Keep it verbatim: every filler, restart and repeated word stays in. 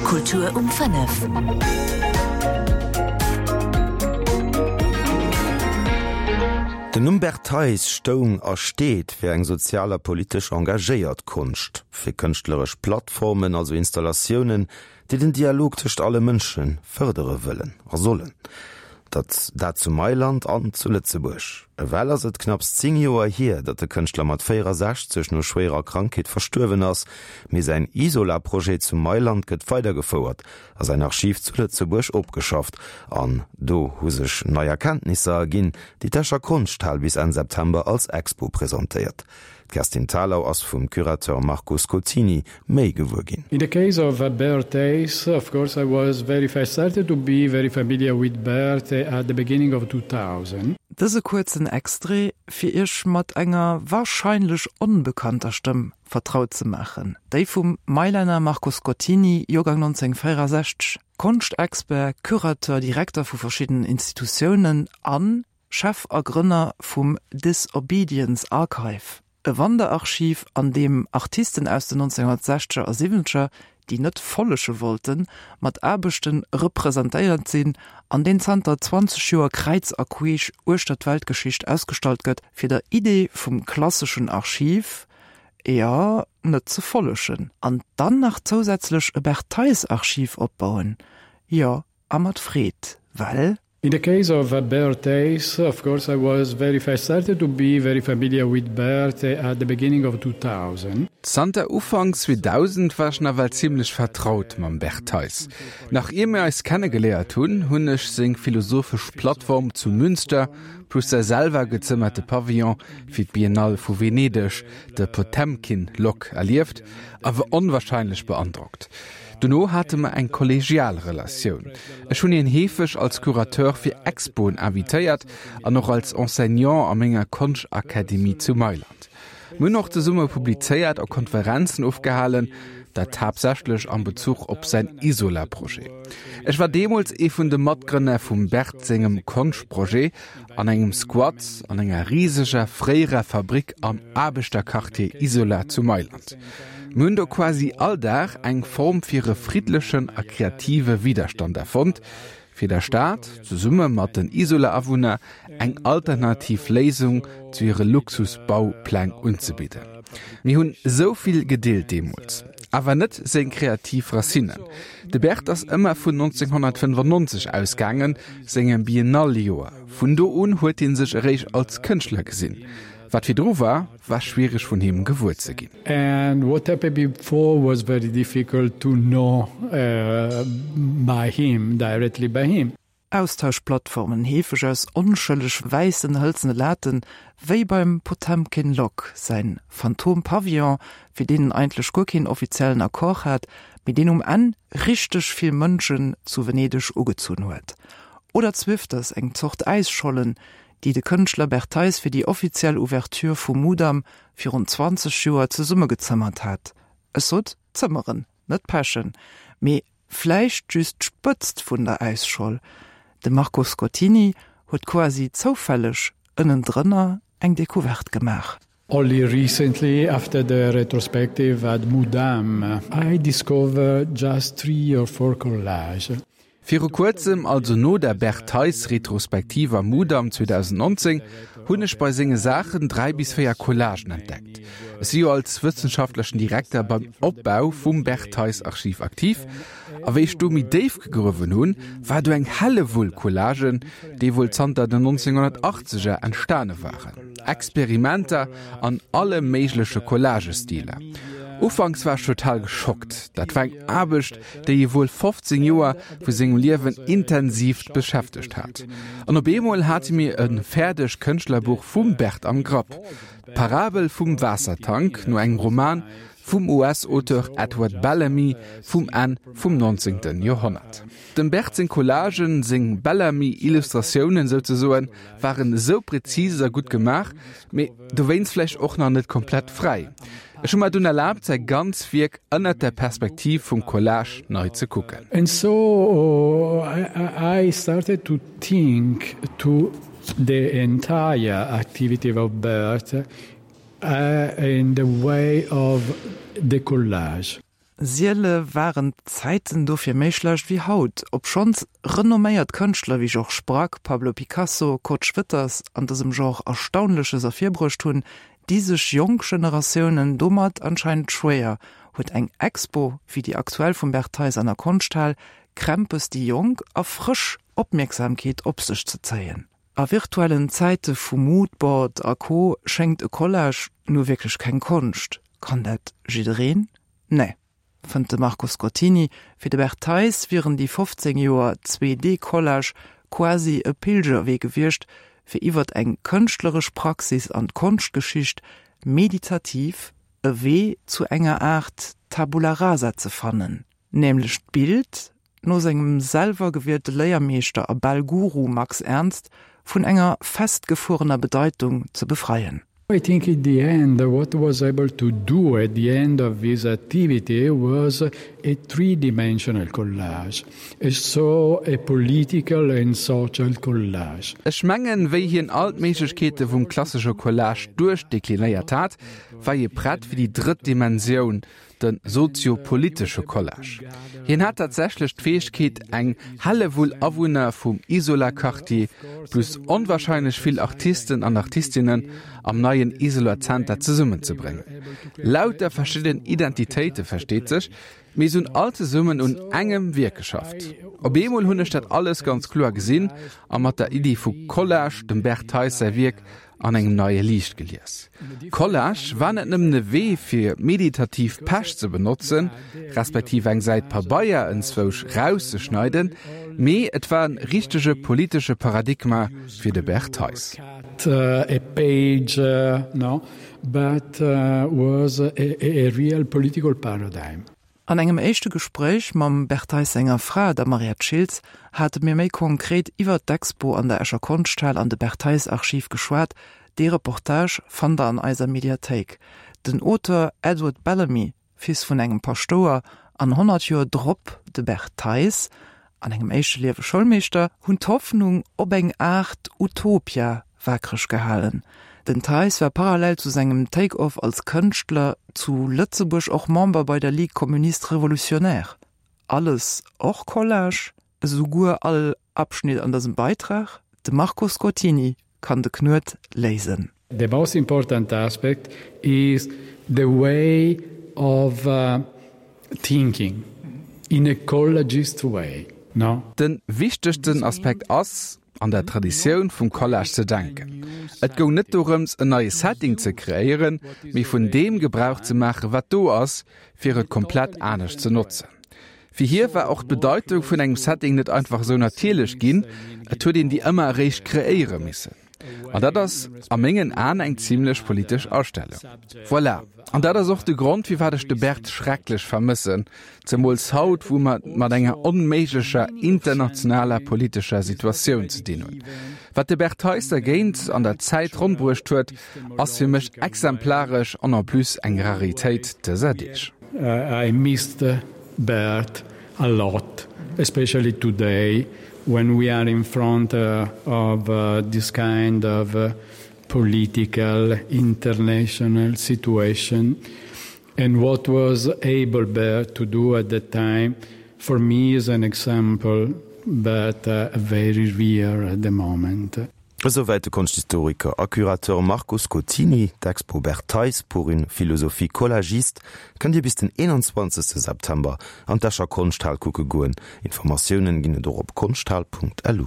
Kultur um fënnef. Den Numm Bert Theis stoung a steet fir eng sozial a politesch engagéiert Konscht, fir kënschtleresch Plattformen, also Installatiounen, déi den Dialog tëscht alle Mënsche fërdere wëllen a sollen. Dat dat zu Mailand an zu Lëtzebuerg. Ewell ass et knapps zéng Joer hier, datt de Kënschtler mat véierasechzeg no schwéierer Krankheet verstuerwen ass, mee säin Isola-Projet zu Mailand gëtt weidergefouert a säin Archiv zu Lëtzebuerg opgeschafft. An do hu sech nei Erkenntnisser erginn, déi d'Escher Konschthal bis Enn September als Expo presentéiert. D'Kerstin Thalau ass vum Curateur Marco Scotini méi gewuer ginn. In the case of Bert Theis, of course I was very I started to be very familiar with Bert at the beginning of two thousand. Dëse kuerzen Extrait, fir Iech mat enger warscheinlech onbekannter Stëmm vertraut ze maachen, déi vum Mailänner Marco Scotini, Joergang nonzénhunnertvéierasechzeg, Konschtexpert, Curateur, Direkter vu verschiddenen Institutiounen an Chef a Grënner vum Disobedience Archive, e Wanderarchiv, an deem Artisten aus den nonzénhunnertsechzeger a siwwenzeger, déi net follege wollten, mat Aarbechte representéiert sinn an deen zanter zwanzeg Joer kräiz a queesch uechter d'Weltgeschicht ausgestallt gëtt, fir der Idee vum klasseschen Archiv, jo, net ze follegen. An dann nach zousätzlech e Bert-Theis-Archiv opbauen, jo, a mat Freed, well. In the case of Bert Theis, of course I was very I started to be very familiar with Bert at the beginning of two thousand. Zanter Ufank zweedausend war ech nawell zimlech vertraut mam Bert Theis. Nach ier mir eis kennegeléiert hunn, hunn ech seng philosophesch Plattform zu Münster plus säi selwer gezëmmerte Pavillon fir d'Biennale vu Venedeg, de Potemkin Lock, erlieft a war onwahrscheinlech beandrockt. Dono hate mer eng kollegial Relatioun. Ech hunn hien heefeg als Curateur fir Expoen invitéiert an och als Enseignant a menger Konschakademie zu Mailand. Mir hunn och zesumme publizéiert a Konferenzen ofgehalen, dat haaptsächlech am Bezuch op säin Isola-Projet. Ech war deemools ee vun de Matgrënner vum Bert sengem Konschtprojet an engem Squat an enger riseger fréierer Fabrik am Aarbechterquartier Isola zu Mailand. Mir hunn do quasi all Dag eng Form fir e friddlechen a kreative Widderstand erfonnt, fir der Stad, zesumme mat den Isola-Awunner, eng alternativ Léisung zu hire Luxus-Baupläng unzebidden. Mir hunn esou vill gedeelt deemools. Awer net seng kreativ Racinnen. De Bert ass ëmmer vun nonzénhunnertfënnefannonzeg ausgaangen, sengem Biennale-Joer. Vun do un huet hie sech eréischt als Kënschtler gesinn. Wat virdru war, war schwiereg vun him gewuer ze ginn. And what happened before was very difficult to know by him, directly by him. Austauschplattformen, heefeg aus onschëlleg wäissen hëlzene Laten, wéi beim Potemkin Lock säin Phantom Pavillon, fir deen en eigentlech guer keen offiziellen Accord hat, mee deen um Enn richteg vill Mënschen zu Venedeg ugezunn huet. Oder Zwifters, eng Zort Äisschollen, déi de Kënschtler Bert Theis fir déi offiziell Ouverture vum Mudam virun zwanzeg Joer zesummegezëmmert hat. Ech sot zëmmeren, net pechen, mee vläicht just d'Spëtzt vun der Äisscholl. De Marco Scotini huet quasi zoufälleg ënnendrënner eng Decouverte gemaach. Only recently, after the retrospective at Mudam, I discovered just three or four collages. Viru kuerzem, also no der Bert Theis-Retrospektiv am Mudam zweedausendnonzéng, hunn ech bei senge Saachen dräi bis véier Collagen entdeckt. Ech si jo als wëssenschaftlechen Direkter beim Opbau vum Bert Theis-Archiv aktiv, a wéi ech do méi déif gegruewen hunn, war do eng Hellewull Collagen, déi wuel zanter den nonzénhunnertachtzeger entstane waren. Experimenter an alle méigleche Collagestiler. Ufanks war ech total geschockt. Dat war eng Aarbecht, déi hie wuel fofzéng Joer vu sengem Liewen intensivt beschäftegt hat. An op eemol hate mir e fäerdegt Kënschtlerbuch vum Bert am Grapp, D'Parabel vum Waassertank, no engem Roman vum U S-Auteur Edward Bellamy vum Enn vum nonzéngte Joerhonnert. Dem Bert seng Collagen, seng Bellamy-Illustratiounen souzesoen, waren esou präzis a gutt gemaach, mee dowéinst vläicht och nach net komplett fräi. Ech hu mer dunn erlaabt, säi ganz Wierk ënnert der Perspektiv vum Collage nei ze kucken. And so I started to think to the entire activity of Bert in the way of the collage. Siele waren d'Zäiten dofir méi schlecht wéi haut, obschonns renomméiert Kënschtler wéi Georges Braque, Pablo Picasso, Kurt Schwitters an dësem Genre Erstaunleches ervirbruecht hunn, di sech jonk Generatiounen domat anscheinend schwéier. Huet eng Expo wéi déi aktuell vum Bert Theis an der Konschthal Krämpes déi jonk a frësch Opmierksamkeet op sech ze zéien? A virtuellen Zäite vu Moodboard a Co schéngt e Collage nu wierklech keng Konscht. Kann dat jiddereen? Nee, fënnt de Marco Scottini. Fir de Bert Theis wieren déi fofzéng Joer zwee D-Collage quasi e Pilgerwee gewiescht, fir iwwert eng kënschtleresch Praxis an d'Konschtgeschicht meditativ e Wee zu enger Aart Tabula rasa ze fannen, nämlech d'Bild, no sengem selwer gewielte Léiermeeschter a bal Guru Max Ernst, vun enger festgefuerener Bedeitung ze befreien. I think in the end what was able to do at the end of this activity was a three-dimensional collage, so a political and social collage. Ech mengen, wéi hien all d'Méiglechkeete vum klassesche Collage duerchdeklinéiert hat, war hie prett fir déi drëtt Dimensioun, de sozio-politesche Collage. Hien hat tatsächlech d'Fäegkeet, eng Hellewull Awunner vum Isola-Quartier plus onwahrscheinlech vill Artisten an Artistinnen am neien Isola-Zenter zesummenzebréngen. Lauter verschidden Identitéite versteet sech, mee se hunn all zesummen un engem Wierk geschafft. Op eemol hunn ech dat alles ganz kloer gesinn a mat der Iddi vu Collage dem Bert Theis säi Wierk an engem neie Liicht gelies. Collage war net nëmmen e Wee fir meditativ Pech ze benotzen, respektiv eng Säit Pabeier enzwousch rauszeschneiden, mee et war en richtege politesche Paradigma fir de Bert Theis. A page, no, but was a real political paradigm. An engem éischte Gespréich mam Bert Theis senger Fra, der Mariette Schiltz, hate mir méi konkret iwwert d'Expo an der Escher Konschthal an de Bert Theis Archiv geschwat. Dee Reportage fannt der an eiser Mediathéik. Den Auteur Edward Bellamy, Fils vun engem Paschtouer, an honnert Joer drop de Bert Theis, an engem éischte Liewe Schoulmeeschter, hunn d'Hoffnung op eng Aart Utopia waakreg gehalen. Den Theis war parallel zu sengem Take-off als Kënschtler zu Lëtzebuerg och Member bei der Ligue communiste révolutionnaire. Alles och Collage? Esouguer all Abschnitt an dësem Beitrag? De Marco Scottini kann de Knuet léisen. The most important aspect is the way of thinking in a collagist way, no? Den wichtegsten Aspekt ass, an der Traditioun vum Collage ze denken. Et goung net dorëms, en neie Setting ze kreéieren, mee vun deem Gebrauch ze maachen, wat do ass, fir et komplett anescht ze notzen. Fir hie war och d'Bedeitung vun engem Setting net einfach esou natierlech ginn, et huet een déi ëmmer eréischt kreéiere missen. An dat ass a mengen Aen eng zimlech politesch Astellung. Voilà. An dat ass och de Grond, firwat ech de Bert schrecklech vermëssen, zemools haut, wou mer et mat enger onméiglecher internationaler politescher Situatioun ze dinn hunn. Wat de Bert Theis dergéint an der Zäit ronn bruecht huet, ass fir mech exemplaresch an en plus eng Raritéit dëser Deeg. I missed Bert a lot, especially today when we are in front of this kind of political international situation and what was able Bert to do at that time for me is an example but very rare at the moment. Esouwäit de Konschthistoriker a Curateur Marco Scottini. D'Expo Bert Theis, Pour une philosophie collagiste kënnt Dir bis den eenanzwanzegste September an d'Escher Konschthal kucke goen. Informatiounen ginn et och op konschthal Punkt lu.